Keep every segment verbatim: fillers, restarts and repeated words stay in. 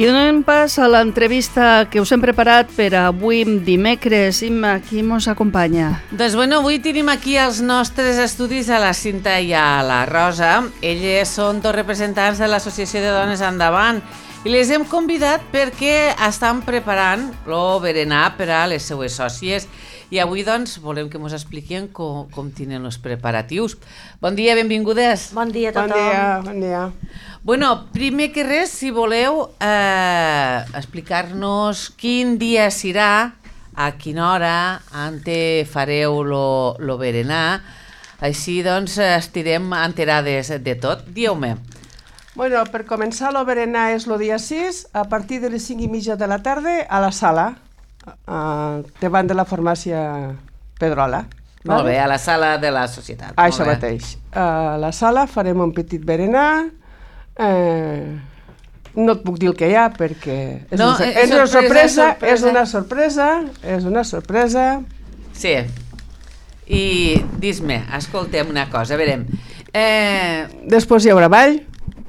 I donem pas a l'entrevista que us hem preparat per avui dimecres. Imma, qui mos acompanya? Doncs bueno, avui tenim aquí els nostres estudis a la Cinta i a la Rosa. Elles són dos representants de l'Associació de Dones Endavant i les hem convidat perquè estan preparant el berenar per a les seues sòcies. I avui, doncs, volem que ens expliquin com, com tenen els preparatius. Bon dia, benvingudes. Bon dia a tothom. Bon dia, bon dia. Bueno, primer que res, si voleu eh, explicar-nos quin dia serà, a quina hora, ante fareu lo, lo berenar, així doncs estirem enterades de tot. Dieu-me. Bueno, per començar, el berenar és el dia sis, a partir de les cinc i mitja de la tarda, a la sala, uh, davant de la farmàcia Pedrola. Molt bé, a la sala de la societat. Ah, això mateix. A la sala farem un petit berenar. Eh, no et puc dir el que hi ha perquè és, no, un, és, és una sorpresa, sorpresa, és una sorpresa, és una sorpresa. Sí. I dis-me, escoltem una cosa, a veure. Eh... Després hi haurà ball,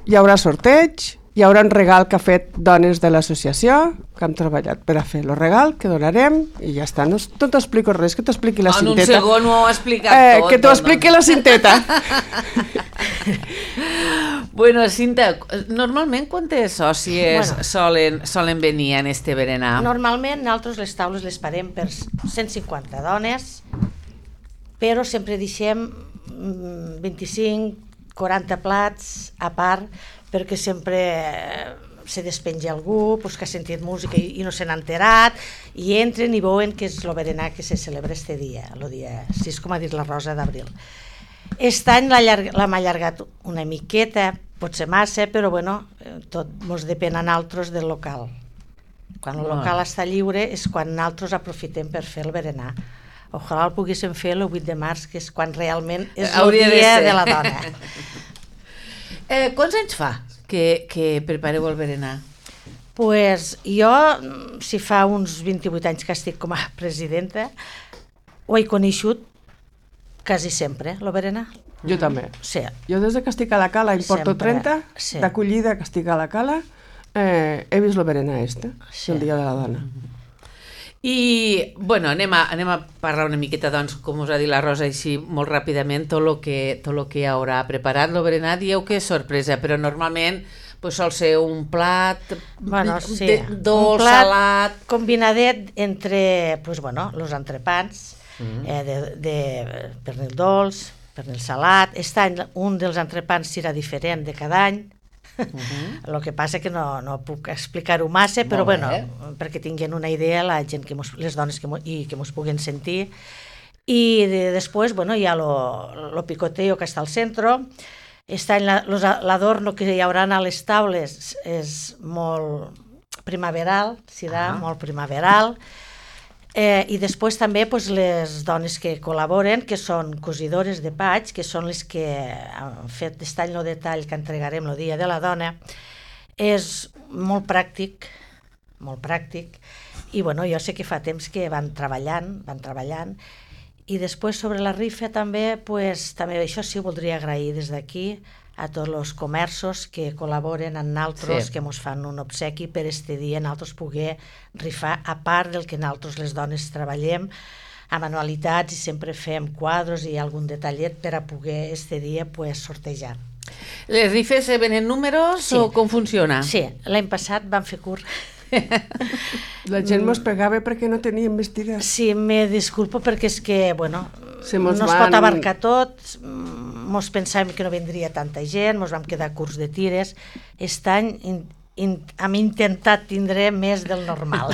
hi haurà sorteig, hi haurà un regal que ha fet dones de l'associació, que hem treballat per a fer el regal, que donarem, i ja està. No, no t'explico res, que t'expliqui la en cinteta. En un segon ho ha explicat eh, tot. Que t'ho expliqui no? la cinteta. Bueno, Cinta, normalment quantes sòcies bueno, solen, solen venir en este berenar? Normalment nosaltres les taules les parem per cent cinquanta dones, però sempre deixem vint-i-cinc quaranta plats a part, perquè sempre se despenja algú pues, que ha sentit música i, i no se n'ha enterat, i entren i veuen que és el berenar que se celebra este dia, el dia sis, com ha dit la Rosa, d'abril. Aquest any l'hem allargat una miqueta, potser massa, però bueno, tot ens depèn a nosaltres del local. Quan el local oh. està lliure és quan nosaltres aprofitem per fer el berenar. Ojalà el poguéssim fer el vuit de març, que és quan realment és el dia de, de la dona. eh, quants anys fa que, que prepareu el berenar? Pues jo, si fa uns vint-i-vuit anys que estic com a presidenta, ho he coneixut quasi sempre, el berenar. Jo també. Sí. Jo des que estic a la cala, em porto sempre. trenta, sí. d'acollida que estic a la cala, eh, he vist el berenar este, sí. el dia de la dona. I, bueno, anem a, anem a parlar una miqueta, doncs, com us ha dit la Rosa, així molt ràpidament, tot el que, tot lo que haurà preparat el berenar. Dieu que és sorpresa, però normalment pues, sol ser un plat bueno, sí. de, dolç, un plat salat... combinadet entre, pues, bueno, los entrepans, mm. eh, de, de pernil dolç, pernil salat. Aquest any un dels entrepans serà diferent de cada any. Uh-huh. El que passa que no, no puc explicar-ho massa, però bueno, perquè tinguin una idea la gent que mos, les dones que mos, i que mos puguen sentir. I de, després bueno, hi ha lo, lo picoteo que està al centre. Aquest any l'adorno que hi haurà a les taules és molt primaveral, serà uh-huh. molt primaveral. Eh, I després també pues, les dones que col·laboren, que són cosidores de paig, que són les que han fet aquest any el detall que entregarem el dia de la dona. És molt pràctic, molt pràctic, i bueno, jo sé que fa temps que van treballant, van treballant, i després sobre la rifa també, pues, també això sí voldria agrair des d'aquí a tots els comerços que col·laboren amb nosaltres, sí. que ens fan un obsequi per este dia nosaltres poder rifar, a part del que nosaltres les dones treballem a manualitats i sempre fem quadres i algun detallet per a poder este dia pues, sortejar. Les rifes se venen números sí. o com funciona? Sí, l'any passat vam fer curt. La gent mos pegava perquè no teníem vestida. Sí, me disculpo perquè és que, bueno, Se no van... es pot abarcar tot, mos pensàvem que no vendria tanta gent, mos vam quedar curts de tires. Aquest any in, in, hem intentat tindre més del normal.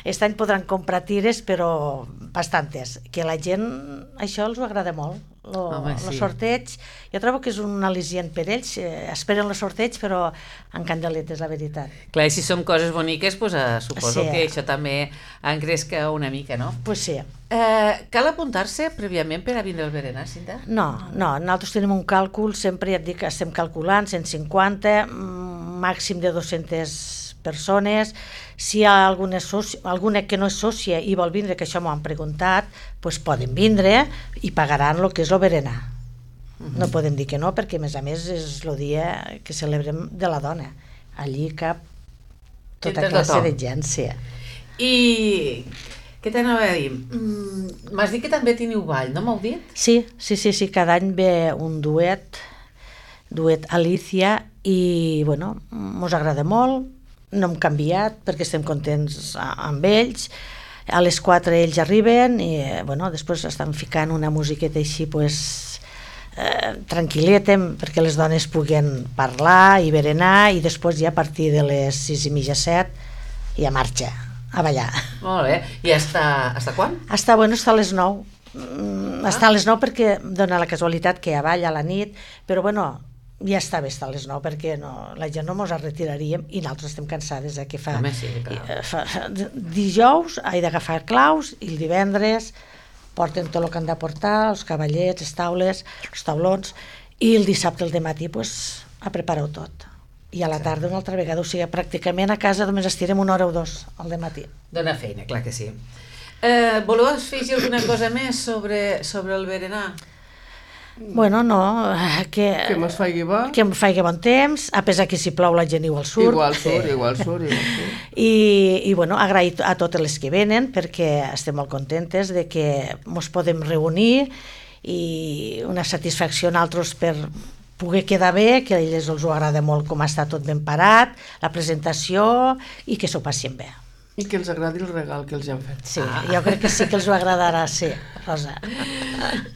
Aquest any podran comprar tires, però bastantes. Que la gent, això els agrada molt. El sí. sorteig, jo trobo que és un al·licient per ells, eh, esperen el sorteig però en candeletes, la veritat. Clar, i si són coses boniques, pues, eh, suposo sí. que això també engresca una mica, no? Pues sí. Eh, cal apuntar-se prèviament per a vindre al berenar, Cinta? No, no, nosaltres tenim un càlcul, sempre ja et dic que estem calculant cent cinquanta, màxim de dues-centes persones. Si hi ha alguna, soci... alguna que no és sòcia i vol vindre, que això m'ho han preguntat, doncs poden vindre i pagaran el que és el berenar. Uh-huh. No podem dir que no, perquè a més a més és el dia que celebrem de la dona. Allí cap tota classe de gent, sí. I què t'anava a dir? Mm, M'has dit que també teniu ball, no m'heu dit? Sí, sí, sí, sí, cada any ve un duet, duet Alicia, i, bueno, mos agrada molt, no hem canviat perquè estem contents amb ells. A les quatre ells arriben i, bueno, després estan ficant una musiqueta així, pues, eh, tranquil·leta, perquè les dones puguen parlar i berenar, i després ja a partir de les sis i mitja, set, ja marxa a ballar. Molt bé. I hasta, hasta quan? Està, bueno, està a les nou. Mm, està a les nou perquè dona la casualitat que ja balla a la nit, però, bueno, ja està bé estar a les nou perquè no, la gent no mos retiraríem i nosaltres estem cansades, eh, que fa, Home, sí, clar. fa dijous he d'agafar claus i el divendres porten tot el que han de portar, els cavallets, les taules, els taulons, i el dissabte al dematí pues, a preparar-ho tot. I a la tarda una altra vegada, o sigui, pràcticament a casa només estirem una hora o dos al dematí. Dona feina, clar que sí. Eh, voleu afegir alguna cosa més sobre, sobre el berenar? Bueno, no, que... Que mos faigui bo. Que em faigui bon temps, a pesar que si plou la gent igual surt. Igual surt, sí. igual surt, igual surt. I, i bueno, agrair a totes les que venen perquè estem molt contentes de que ens podem reunir i una satisfacció en altres per poder quedar bé, que a ells els ho agrada molt com està tot ben parat, la presentació i que s'ho passin bé. I que els agradi el regal que els han fet. Sí, ah. jo crec que sí que els ho agradarà, sí, Rosa.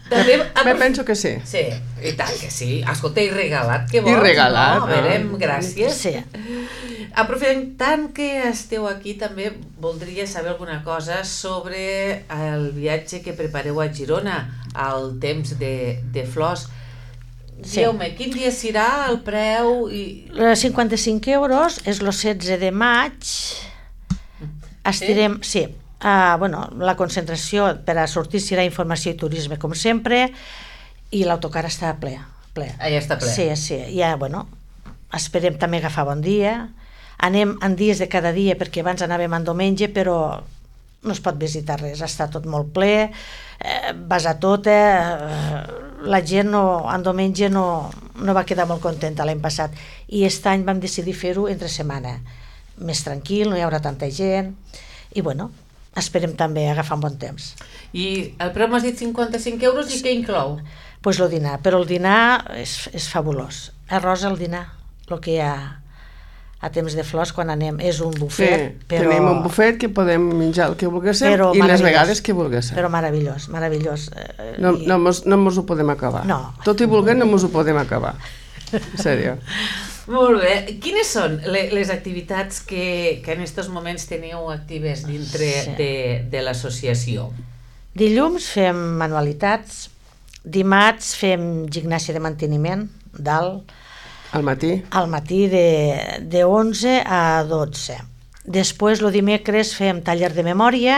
També, Me penso que sí. Sí, i tant que sí. Escolta, i regalat, què vols? I regalat. No? A veure, gràcies. Sí. Aprofitant que esteu aquí, també voldria saber alguna cosa sobre el viatge que prepareu a Girona, al temps de, de flors. Sí. Dieu-me, quin dia serà el preu? I... cinquanta-cinc euros, és el setze de maig. Estirem, sí, sí. Uh, bueno, la concentració per a sortir serà informació i turisme, com sempre, i l'autocar està ple, ple. Ah, ja està ple. Sí, sí, ja, bueno, esperem també agafar bon dia. Anem en dies de cada dia, perquè abans anàvem en diumenge, però no es pot visitar res, està tot molt ple, eh, vas a tot, eh, la gent no, en diumenge no, no va quedar molt contenta l'any passat, i aquest any vam decidir fer-ho entre setmana, més tranquil, no hi haurà tanta gent, i bueno, esperem també agafar un bon temps. I el preu m'has dit cinquanta-cinc euros i què inclou? Doncs pues el dinar, però el dinar és, és fabulós. A Rosa, el dinar, el que hi ha a temps de flors quan anem, és un bufet, sí, però... tenim un bufet que podem menjar el que volguéssim i les vegades que volguéssim. Però meravellós, meravellós. No, no, mos, no mos ho podem acabar. No. Tot i volguem no mos ho podem acabar. En sèrio. Molt bé. Quines són les activitats que, que en aquests moments teniu actives dintre sí. de, de l'associació? Dilluns fem manualitats, dimarts fem gimnàsia de manteniment, dalt, al matí? Al matí de, de onze a dotze. Després, el dimecres, fem taller de memòria,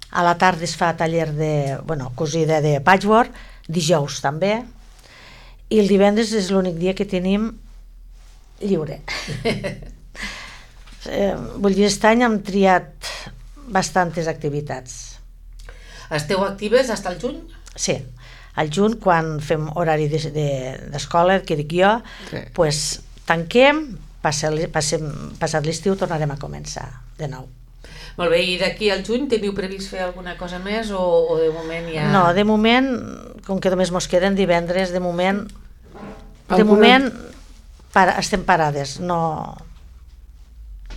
a la tarda es fa taller de, bueno, cosida de patchwork, dijous també, i el divendres és l'únic dia que tenim lliure. eh, vull dir, aquest any hem triat bastantes activitats. Esteu actives fins al juny? Sí, al juny, quan fem horari d'escola, de, de, que dic jo, sí. pues, tanquem, passem, passem, passat l'estiu tornarem a començar de nou. Molt bé, i d'aquí al juny teniu previst fer alguna cosa més o, o de moment ja... No, de moment, com que només mos queden divendres, de moment, de alguna... moment para, estem parades, no...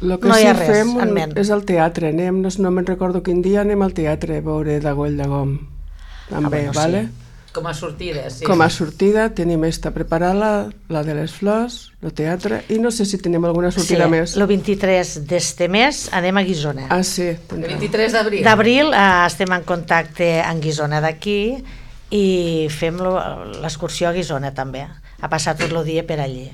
El que no sí hi ha res fem en ment. És al teatre, anem, no, no me'n recordo quin dia, anem al teatre a veure Dagoll de Gom. També, ah, bueno, vale? Sí. Com a sortida, sí. Com a sortida, tenim esta preparada, la de les flors, el teatre, i no sé si tenim alguna sortida sí, més. El vint-i-tres d'este mes anem a Guissona. Ah, sí. El vint-i-tres d'abril. D'abril eh, estem en contacte amb Guissona d'aquí i fem l'excursió a Guissona també, a passar tot el dia per allí.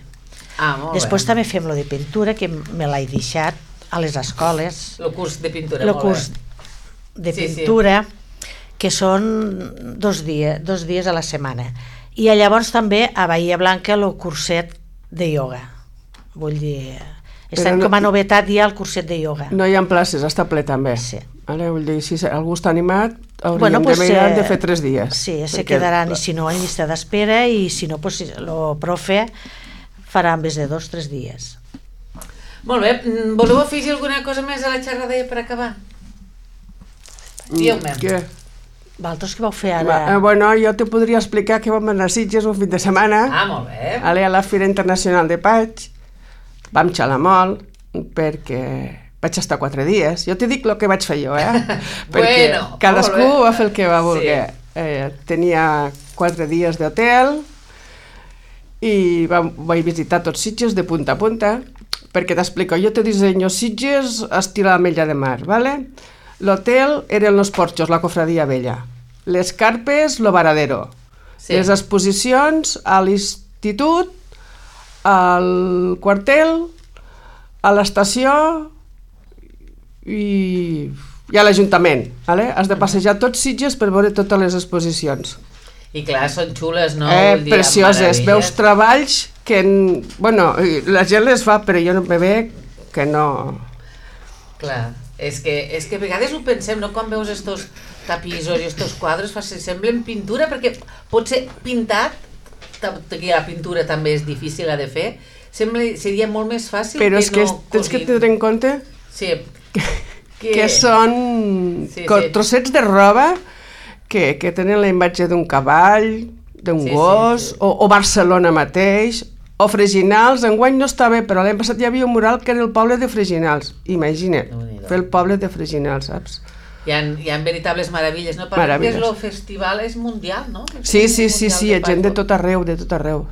Ah, molt Després bé. també fem lo de pintura, que me l'he deixat a les escoles. El curs de pintura, el molt curs bé. de sí, pintura, sí. que són dos dies, dos dies a la setmana. I llavors també a Bahia Blanca el curset de ioga. Vull dir, està no, com a novetat hi ha el curset de ioga. No hi ha places, està ple també. Sí. Ara, vull dir, si algú està animat, hauríem bueno, pues, de, mirar eh, de fer tres dies. Sí, perquè... se quedaran, i si no, en llista d'espera, i si no, pues, el profe farà en vez de dos, tres dies. Molt bé, voleu afegir alguna cosa més a la xerrada per acabar? Dieu-me. Què? Vosaltres què vau fer Va, ara? eh, bueno, jo te podria explicar que vam anar a Sitges un fin de setmana, Ah, molt bé. aller a la Fira Internacional de Paig, vam xalar molt, perquè vaig estar quatre dies. Jo te dic el que vaig fer jo, eh? Perquè Bueno, cadascú molt bé. va fer el que va voler. Sí. Eh, tenia quatre dies d'hotel i vam, vaig visitar tots Sitges de punta a punta, perquè t'explico, jo te dissenyo Sitges estil Ametlla de Mar, ¿vale? L'hotel eren los porxos, la cofradia vella. Les carpes, lo varadero. Sí. Les exposicions a l'institut, al quartel, a l'estació i, i a l'Ajuntament. ¿Vale? Has de passejar tots Sitges per veure totes les exposicions. I clar, són xules, no? Eh, Vull dir, precioses. meravelles. Veus treballs que... en- Bueno, la gent les fa, però jo no me ve que no... Clar, és que, és que a vegades ho pensem, no? Quan veus estos tapissos i estos quadres, fa, semblen pintura, perquè pot ser pintat, tot i la pintura també és difícil de fer, sembla, seria molt més fàcil Però que és que no tens que cosin. tenir en compte Sí, que, que són Sí, co- sí. trossets de roba que, que tenen la imatge d'un cavall, d'un Sí, sí, gos, sí. O, o Barcelona mateix, o Freginals. Enguany no està bé, però l'any passat hi havia un mural que era el poble de Freginals. Imagina't, Déu-n'hi-do. fer el poble de Freginals, saps? hi ha, hi ha veritables meravelles, no? Parlem que Meravelles. el festival és mundial, no? Sí, sí, sí, sí, hi ha gent de Paco. tot arreu, de tot arreu.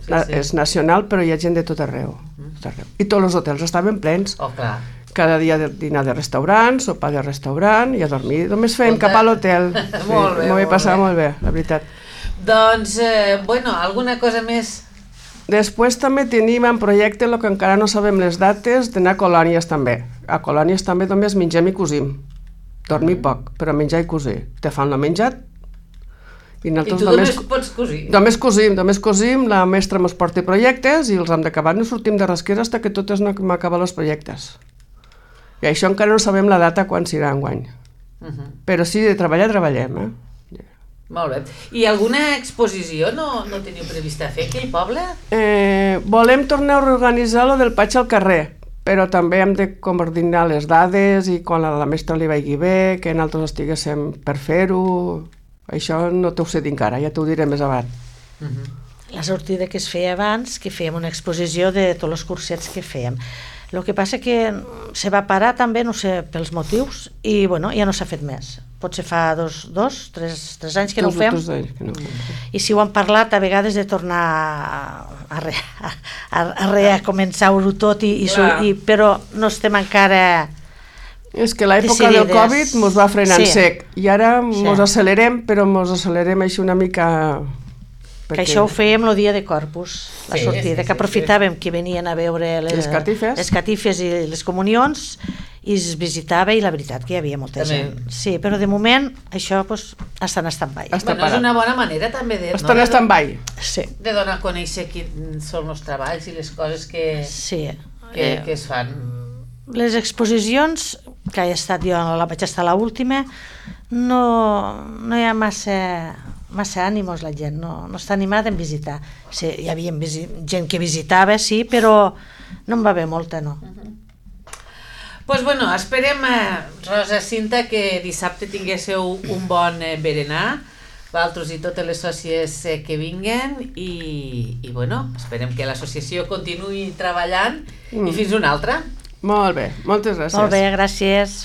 Na, sí. És nacional, però hi ha gent de tot arreu. Tot arreu. I tots els hotels estaven plens. Oh, clar. Cada dia de dinar de restaurant, sopar de restaurant i a dormir. Només fèiem Escolta. cap a l'hotel. Molt bé, M'ho vaig molt passar bé. molt bé, la veritat. Doncs, eh, bueno, alguna cosa més? Després també tenim en projecte, el que encara no sabem les dates, d'anar a colònies també. A colònies també només mengem i cosim. Dormir poc, però menjar i cosir. Te fan el menjat i I nosaltres tu només, només pots cosir? només cosim, només cosim, la mestra mos porta projectes i els hem d'acabar, no sortim de rasquera fins que totes no hem acabat els projectes. I això encara no sabem la data quan serà enguany. Uh -huh. Però sí, de treballar, treballem, eh? Molt bé. I alguna exposició no, no teniu prevista fer aquí al poble? Eh, volem tornar a organitzar lo del Paig al carrer, però també hem de coordinar les dades i quan a la mestra li vagi bé, que nosaltres estiguéssim per fer-ho. Això no t'ho sé dir encara, ja t'ho diré més avant. Uh -huh. La sortida que es feia abans, que fèiem una exposició de tots els cursets que fèiem. El que passa que se va parar també, no sé, pels motius, i bueno, ja no s'ha fet més. Potser fa dos, dos tres, tres anys que no ho Dos o fem, tres anys que no ho fem. i si ho han parlat a vegades de tornar a, a, re, a, a recomençar-ho tot, i, i, su- Clar. i, però no estem encara... És que l'època del Decidides. Covid mos va frenar en Sí. sec i ara mos Sí. acelerem, però mos acelerem així una mica... Que això ho fèiem el dia de Corpus, la Sí, sortida, sí, sí, que aprofitàvem que venien a veure les, Les catifes. les catifes i les comunions, i es visitava, i la veritat que hi havia molta També. gent. Sí, però de moment això pues, està en stand-by. Està Bueno, és parat. una bona manera també de, Estan no? en stand-by. Sí, de donar a conèixer quins són els treballs i les coses que, sí. que, Eh, que es fan. les exposicions, que he estat jo, la vaig estar a l'última, no, no hi ha massa, massa ànimos la gent, no, no està animada en visitar. Sí, hi havia visi gent que visitava, sí, però no en va haver molta, no. Pues bueno, esperem, eh, Rosa, Cinta, que dissabte tinguéssiu un bon eh, berenar, vosaltres i totes les sòcies eh, que vinguen, i, i bueno, esperem que l'associació continuï treballant, Mm. i fins una altra. Molt bé, moltes gràcies. Molt bé, gràcies.